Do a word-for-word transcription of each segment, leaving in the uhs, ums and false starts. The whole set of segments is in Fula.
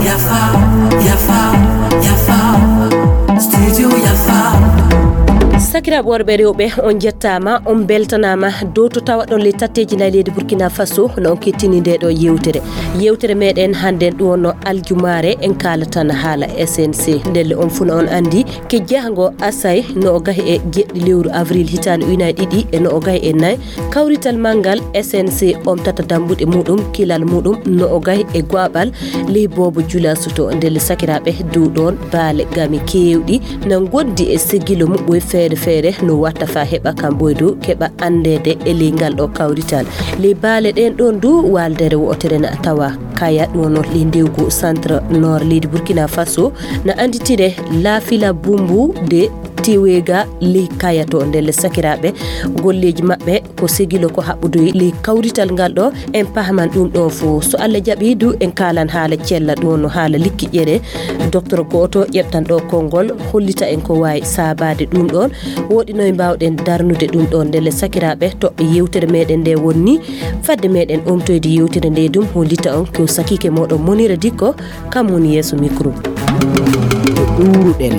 Yafa, yafa, yafa. Studio yafa. Sakiraaɓe worɓe e rewɓe, on njettaama, on mbeltanaama dow to tawaɗon ley tatteeji nayi leydi Burkina Faso, no on kettini ndee ɗoo yewtere. Yewtere meɗen hannden ɗum wonno aljumaare, en kaalatan haala S N C. Ndelle on fuu no on anndi, ke jahango asay no o gahi e jeɗɗi lewru avril hitaande ujunaaji ɗiɗi e no o gahi e nayi, kawrital manngal S N C omtata dambuɗe muɗum, kilal muɗum no o gahi e go'aɓal ley boobo julasoto. Ndelle sakiraaɓe, dow ɗoon baale gami keewɗi na ngondi e segilo muɓɓoy feere feere no watta faa heɓa kam boy dow keɓa anndeede e ley ngal ɗo kawrital. Ley baale ɗen ɗon du waaldere wo'otere na tawa Kaya, ɗum wonno ley ndewgu centre nord leydi Burkina Faso, na annditire Lafila Bumbu de Tiwega ley Kaya to. Ndelle sakiraaɓe, golleeji maɓɓe ko segilo ko haɓɓodoyi ley kawrital ngal ɗo, en pahaman ɗum ɗo fof. So Allah jaɓi du, en kaalan haala cella, ɗum wonno haala likki ƴere. Docteur gooto ƴeftan ɗo konngol, hollita en ko waawi saabaade ɗum ɗon, woɗi noye mbaawɗen darnude ɗum ɗon. Ndelle sakiraaɓe, toɓɓe yewtere meɗen nde wonni. Fadde meɗen omtoyde yewtere nde dum, hollita on ko sakiike moɗon Monira Dikko, kam woni yeeso micro. Ɗuuruɗen.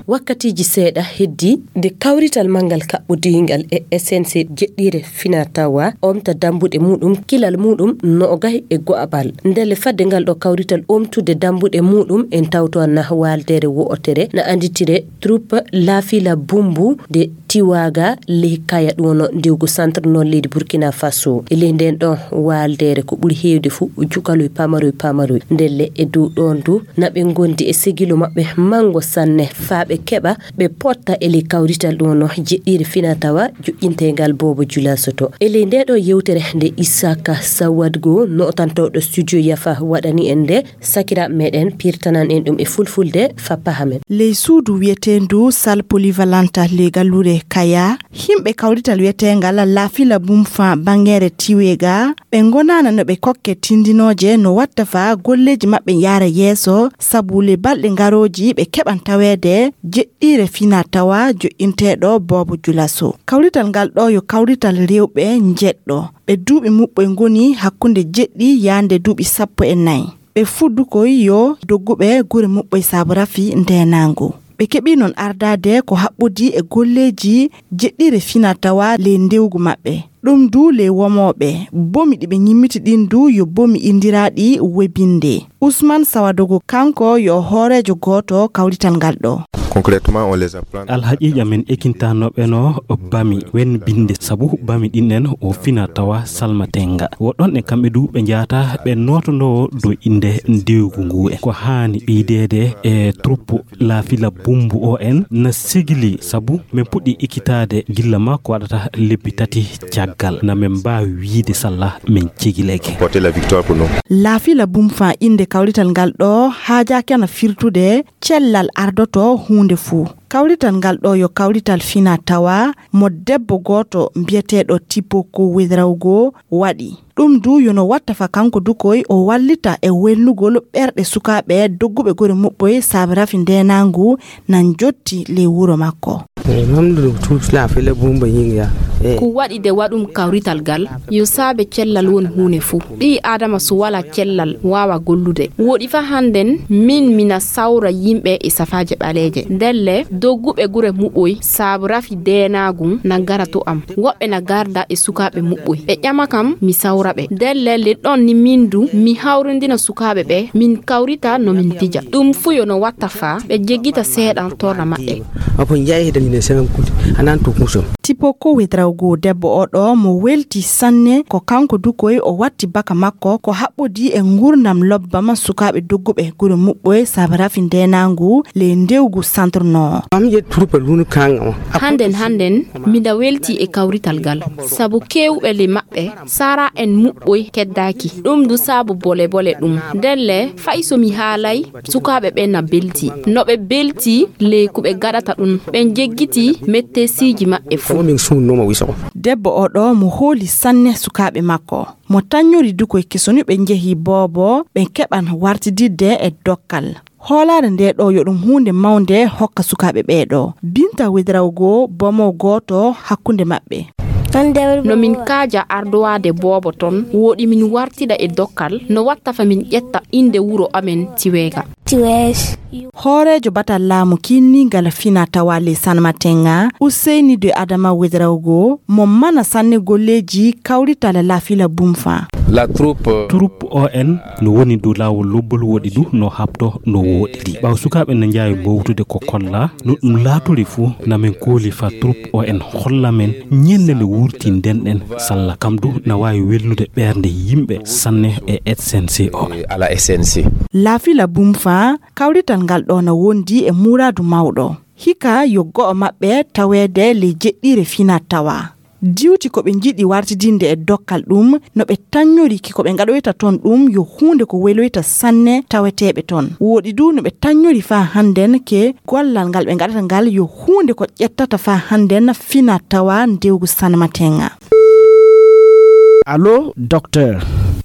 Wakkatiiji seeɗa heddi nde kawrital manngal kaɓɓodiingal e S N C jeɗɗiire fina tawa omta dambuɗe muɗum, kilal muɗum no o gahi e go'abal. Ndelle fadde ngal ɗo kawrital omtude dambuɗe muɗum, en tawto na waaldere wo'otere na annditire troupe Lafila Bumbu de Tiwaga ley Kaya, ɗum wonno ndewgu centre nord leydi Burkina Faso. E ley nden ɗon waaldere ko ɓuri heewde fuu cukaloy pamaroy pamaroy. Ndelle e dow ɗon du na ɓe ngondi e segilo maɓɓe manngo sanne faa ɓe keɓa ɓe potta e ley kawrital ɗum wonno jeɗɗiire fina tawa joƴƴinteengal boobo julasoto. E ley nde ɗo yewtere nde Isaka Sawadgo, nootantooɗo studio Yafa waɗani en nde, sakiraaɓe meɗen pirtanan en ɗum e fulfulde faa pahamen. Ley suudu wiyeteendu salle polyvalente ley galluure Kaya, yimɓe kawrital wiyeteengal Lafila Bumfa bangeere Tiwega, ɓe ngonaana no ɓe kokke tindinooje no watta faa golleeji maɓɓe yaara yeeso, sabu ley balɗe ngarooji ɓe keɓan taweede jeɗɗiire fina tawa joƴƴinteeɗo boobo julaso. Kawrital ngal ɗo yo kawrital rewɓe njeɗɗo. Ɓe duuɓi muɓɓoy ngoni hakkunde jeɗɗi yaande duuɓi sappo e nayi. Ɓe fuu dukoy yo dogguɓe gure muɓɓoy saabu rafi ndeenaangu. Ɓe keɓii noon ardaade ko haɓɓodii e golleeji jeɗɗiire fina tawa ley ndewgu maɓɓe. Ɗum du ley womooɓe, bomi ɗi ɓe ñimmiti ɗin du yo bomi inndiraaɗi webinde. Ousmane Sawadogo kanko yo hooreejo gooto kawrital ngal ɗo. Concrètement, on les apprend. Alhaqiiqa, min ekintanooɓe no bami wen binde, sabu bami ɗin en o fina tawa salmatenga. Woɗɗon e kamɓe du ɓe njaata ɓe nootonoo dow innde ndewgu ngu en. Ko haani ɓeydeede e troupe Lafila Bumbu o en na sigili, sabu min puɗɗi ekitaade gilla ma ko waɗata lebbi tati caggal. Na min mbaawi wiyde salla min cegileke. Porter la victoire pour nous. Lafila Bumfa innde kawrital ngal ɗo haajaaki ana firtude cellal ardoto huunde fuu. Kawrital ngal ɗo yo kawrital fina tawa mo debbo gooto mbiyeteeɗo Tipoko Wedrawgo waɗi. Ɗum du yo no watta fa kanko dukoy o wallita e welnugol ɓerɗe sukaaɓe dogguɓe gure muɓɓoy saabe rafi ndeenaangu nan jotti ley wuro makko. Eh, mamdudu tut la fele bumba yinga. Eh. Ko waɗi de waɗum kawrital gal, yo saabe cellal won huune fuu. Ɓii Aadama so walaa cellal waawa gollude. Woɗi fa hannden, min mina sawra yimɓe e safaaje ɓaleeje. Ndelle, dogguɓe gure muɓɓoy saabe rafi ndeenaagu na ngara to am. Woɓɓe na garda e sukaaɓe muɓɓoy. Ɓe ƴama kam, mi sawra ɓe. Ndelle, le ɗon ni min du, mi hawrindina sukaaɓe ɓe, min kawrita no min pija. Ɗum fuu yo no watta fa ɓe jeggita seeɗa torra maɓɓe. Apo njayi hita mine semen kuti, anan to kusom. Tipo ko wetrawgo debbo o ɗo mo welti sanne, ko kanko dukoy o watti baka makko, ko haɓɓodi e ngurnam lobbam sukaaɓe dogguɓe gure muɓɓoy saabe rafi ndeenaangu le ndewgu santorno. Am je troupe lunu kanga o. Hannden, hannden, miɗa welti e kawrital gal, sabu keewɓe le maɓɓe, sara en muɓɓoy keddaaki. Ɗum du saabu bole bole ɗum. Ndelle, fay so mi haalay, sukaaɓe ɓe na belti. No ɓe belti ley ko ɓe gaɗata ɗum, ɓe njeggiti mettesiiji maɓɓe fuu. Ko min sunnoma wiso. Debbo o ɗo mo hooli sanne sukaaɓe makko. Mo tannyori dukoy kesoni ɓe njehi boobo, ɓe keɓan wartididde e dokkal. Hoolaare ndee ɗoo yo ɗum huunde mawnde hokka sukaaɓe ɓee ɗoo. Binta Wedrawgo, bomo gooto hakkunde maɓɓe. No min kaaja ardowaade boobo ton, wooɗi min wartida e dokkal, no watta fa min ƴetta innde wuro amen Tiweega. Hooreejo batal laamu kiinniingal fina tawa ley Sanmatenga, Useyni de Adama Wedrawgo, mo mana sanne golleeji kawrital Lafila Bumfa. La troupe, euh, Troupe O N no woni dow laawol lobbol, woɗi du no haɓto no wooɗiri. Ɓaawo sukaaɓe na njaawi mbowtude ko kolla, no ɗum laatori fu, na min kooli fa troupe O N holla men ñande nde wurti nden ɗen salla. Kam du na waawi welnude ɓernde yimɓe sanne e S N C o. À la S N C. Lafila Bumfa, kawrital ngal ɗoo na wondi e muraadu mawɗo. Hika yo go'o maɓɓe taweede ley jeɗɗiire fina tawa. Diwti ko ɓe njiɗi wartidinde e dokkal ɗum, no ɓe taññori ki ko ɓe ngaɗoyta ton ɗum yo huunde ko weloyta sanne taweteeɓe ton. Wooɗi du no ɓe taññori faa hannden ke gollal ngal ɓe ngaɗata ngal yo huunde ko ƴettata faa hannden fina tawa ndewgu Sanmatenga. Allo, docteur.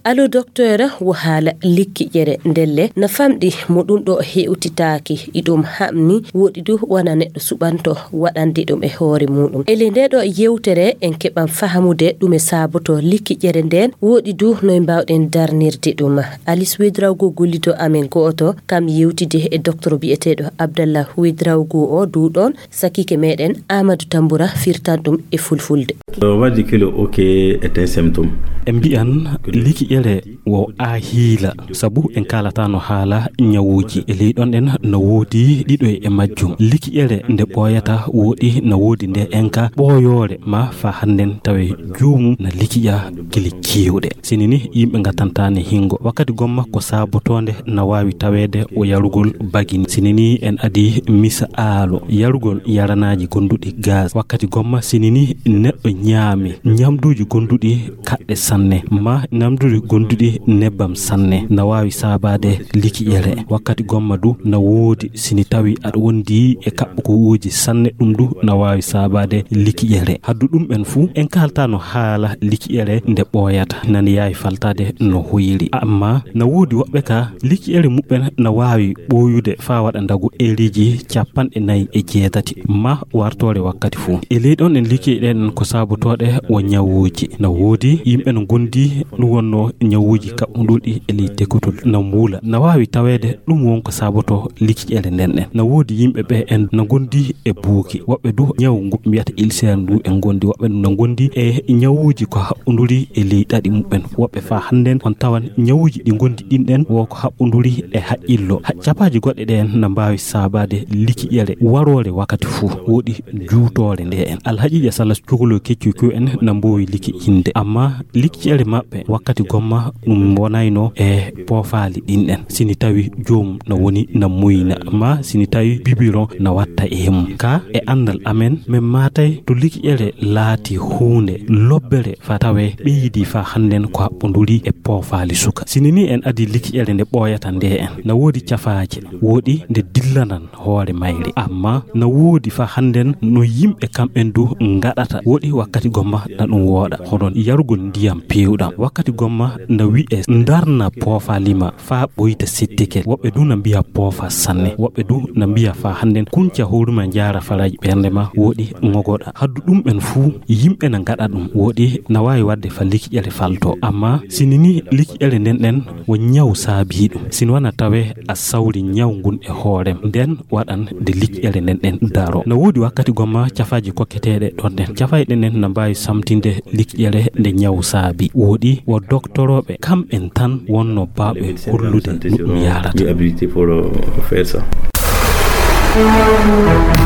Allo, docteur, wo haala likki ƴere ndelle na famɗi mo ɗum ɗo hewtitaaki. Iɗum haɓni, woɗi du wona neɗɗo suɓanto waɗande ɗum e hoore muɗum. E ley nde ɗo yewtere, en keɓan fahamude ɗume saaboto likki ƴere nden, woɗi du noy mbawɗen darnirde ɗum. Alice Wedrawgo gollido amen go'oto, kam yewtide e docteur bi'eteɗo Abdallah Wedrawgo o duɗon, sakike meɗen Amadou Tambura firtan ɗum e fulfulde. Wadde kilo oke est un symptôme. E mbiyan liki ƴere wo a hiila, sabu en kaalata no haala ñawuuji. E ley ɗon ɗen no woodi ɗiɗo e majjum. Liki ƴere nde ɓooyata woɗi no woodi nde enka ɓooyoore ma fa hannden tawe joomum na likiƴa gili keewɗe. Sini ni yimɓe ngatantani hingo. Wakkati gomma ko saabotoonde na waawi taweede o yarugol bagini. Sini ni en adi misaalu yarugol yaranaaji gonduɗi gaz. Wakkati gomma sini ni neɗɗo ñaami ñamduuji gonduɗi kaɗɗe sanne, ma ñamduuji gonduɗi nebbam sanne, na waawi saabaade liki ƴere. Wakkati gomma du na woodi sini tawi aɗa wondi e kaɓɓo ko uuji sanne, ɗum du na waawi saabaade liki ƴere. Haddu ɗum en fuu, en kaalta no haala liki ƴere nde ɓooyata, nani yaawi faltaade no hoyiri. Amma na woodi woɓɓe ka liki ƴere muɓɓen na waawi ɓooyude faa waɗa ndagu eeriji capanɗe nayi e jeetati, ma wartoore wakkati fuu. E ley ɗon en liki ɗen ko saabotooɗe wo ñawuuji. Na woodi yimɓe no gondi ɗum wonno ñawuuji kaɓɓunduɗi e ley tekotol na muula. Na waawi taweede ɗum won ko saaboto liki ƴere nden ɗen. Na woodi yimɓe ɓe en no gondi e buuki. Woɓɓe du ñaw ngu mbiyata ulcère ndu en gondi. Woɓɓe no gondi e ñawuuji ko haɓɓunduri e ley ɗaɗi muɓɓen. Woɓɓe faa hannden on tawan ñawuuji ɗi gondi ɗin ɗen wo ko haɓɓunduri e haqqillo. Ha-, capaaji goɗɗe ɗe en na mbaawi saabaade liki ƴere waroore wakkati fuu. Woɗi juutoore nde en. Alhaqiiqa sala cukalo keccu ku en na mboowi liki inde. Amma liki ƴere maɓɓe wakkati gomma ɗum wonayno e poofaali ɗin ɗen. Sini tawi joomum na woni na muyna, ma sini tawi bibiron na watta e mum. Ka e anndal amen, men maatay to liki ƴere laati huunde lobbere fa tawe ɓeydi fa hannden ko haɓɓunduri e poofaali suka. Sini ni en adi liki ƴere nde ɓooyata nde en. Na woodi cafaaje, woɗi nde dillanan hoore mayre. Amma na woodi fa hannden no yimɓe kamɓen du ngaɗata. Woɗi wakkati gomma na ɗum wooɗa. Hono yarugol ndiyam peewɗam. Wakkati gomma na wi'e ndarna poofaali ma faa ɓoyta settike. Woɓɓe du na mbiya poofa sanne. Woɓɓe du na mbiya faa hannden kunca hoore ma njaara faraaji ɓernde ma woɗi ŋogoɗa. Haddu ɗum en fuu yimɓe na ngaɗa ɗum. Woɗi na waawi waɗde fa liki ƴere falto. Amma sini ni liki ƴere nden ɗen wo ñaw saabii ɗum. Sini wana tawe a sawri ñaw ngun e hoorem, nden waɗan nde liki ƴere nden ɗen daro. Na woodi wakkati gomma cafaaji kokketeeɗe ɗon ɗen. Cafayɗe nden na mbaawi samtinde liki ƴere nde ñaw saabi. Woɗi wo doktorooɓe kamɓen tan wonno baaɓe hollude no ɗum yaarata.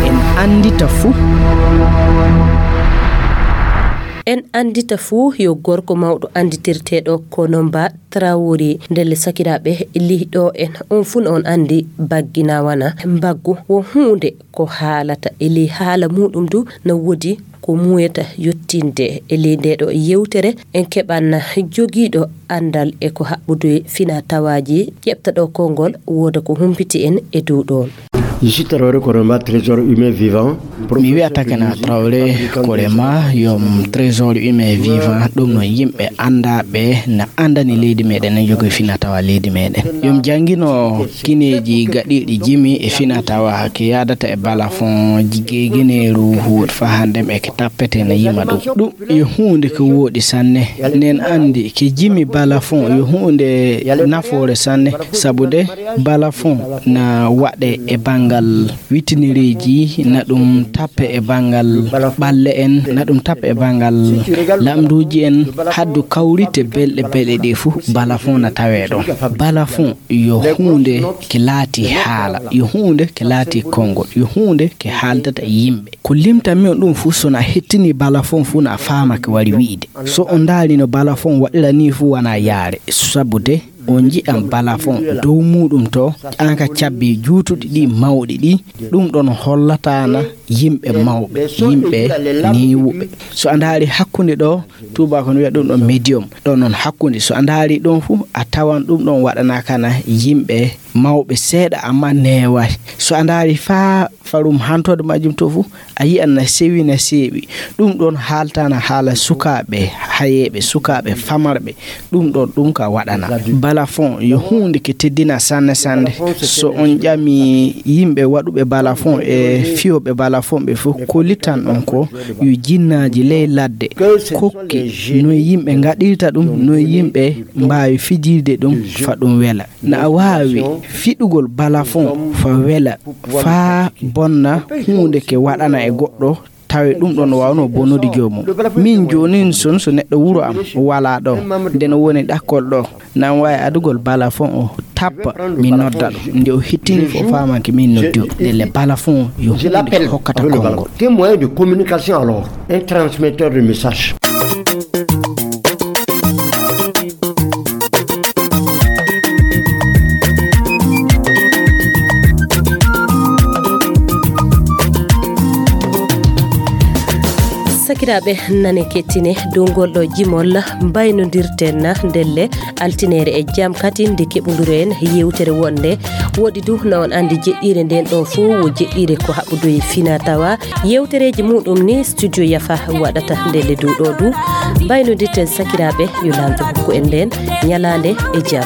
En anndita fuu. En anndita fuu yo gorko mawɗo annditirteeɗo ko Nomba Traoré. Ndelle sakiraaɓe, lihi ɗo en, on fuu on anndi baggi na wana mbaggu wo huunde ko haalata e ley haala muuɗum du na woodi ko muuyata yottinde e ley nde ɗo yewtere. En keɓan jogiiɗo anndal e ko haɓɓude fina tawaaji ƴeɓta ɗo konngol wooda ko humpiti en e dow ɗoon. Je suis Traoré Korema, trésor humain vivant. Mi wiyata kena Traoré Korema, yom trésor humain vivant. Ɗum no yimɓe anndaɓe na anndani leydi meɗen, na jogi finatawa leydi meɗen. Yom janngino kineeji gaɗiiɗi jimi e finatawa ke yaadata e balafon, geegeneeru, huwot fa hanndem e ke tappete na yima ɗum. Ɗum yo huunde ko wooɗi sanne. Nen anndi ke jimi balafon yo huunde nafoore sanne, sabu de balafon na waɗe e banngal witinireeji, na ɗum tappe e banngal ɓalle en, na ɗum tappe e banngal lamnduuji en, haddu kawrite belɗe belɗe ɗe fuu, balafon na tawee ɗon. Balafon yo huunde ke laati haala, yo huunde ke laati konngol, yo huunde ke haaldata e yimɓe. Ko limtanmi on ɗum fuu, so na hettini balafon fuu, na faama ko wari wi'ude. So on ndaari no balafon waɗira nii fuu, wanaa yaare. Sabu de on nji'an balafon dow muuɗum to, an ka cabbi juutuɗi ɗi mawɗi ɗi, ɗum ɗon hollataana yimɓe mawɓe, yimɓe neewuɓe. So a ndaari hakkunde ɗo, tuubaako no wi'a ɗum ɗon medium, ɗon non hakkunde. So a ndaari ɗon fuu, a tawan ɗum ɗon waɗanaakana yimɓe mawɓe seeɗa, amma neewaay. So a ndaari faa farum hantoode majjum to fuu, a yi'an na sewi, na seeɓi. Ɗum ɗon haaltana haala sukaaɓe hayeeɓe, sukaaɓe famarɓe. Ɗum ɗon, ɗum ka waɗana. Balafon yo huunde ke teddina sanne sanne. So on ƴami yimɓe waɗuɓe balafon e fiyooɓe balafon ɓe fuu, ko littan on ko yo jinnaaji ley ladde kokke noye yimɓe ngaɗirta ɗum, noye yimɓe mbaawi fijirde ɗum fa ɗum wela. Na a waawi fiɗugol balafon fa wela, fa bonna huunde ke waɗana e goɗɗo, tawi ɗum ɗon waawno bonnude joomum. Min joonin son, so neɗɗo wuro am walaa ɗo, nde no woni ɗakkol ɗo, nan waawi adugol balafon o tappa, mi nodda ɗum. Nde o hittini fof, faamanke min noddi o. Ndelle balafon yo huunde ko hokkata konngol. Quel moyen de communication alors? Un transmetteur de message. Sakiraaɓe, nane kettine dow ngol ɗo jimol, mbaynodirten ndelle altineere e jam kadi nde keɓondiren yewtere wonde. Woɗi du na on anndi jeɗɗiire nden ɗo fof wo jeɗɗiire ko haɓɓudu e fina tawa. Yewtereeji muɗum ni studio Yafa waɗata ndelle dow ɗo du. Mbaynodirten sakiraaɓe, yo Laamɗo hokku en nden ñalaande e jam.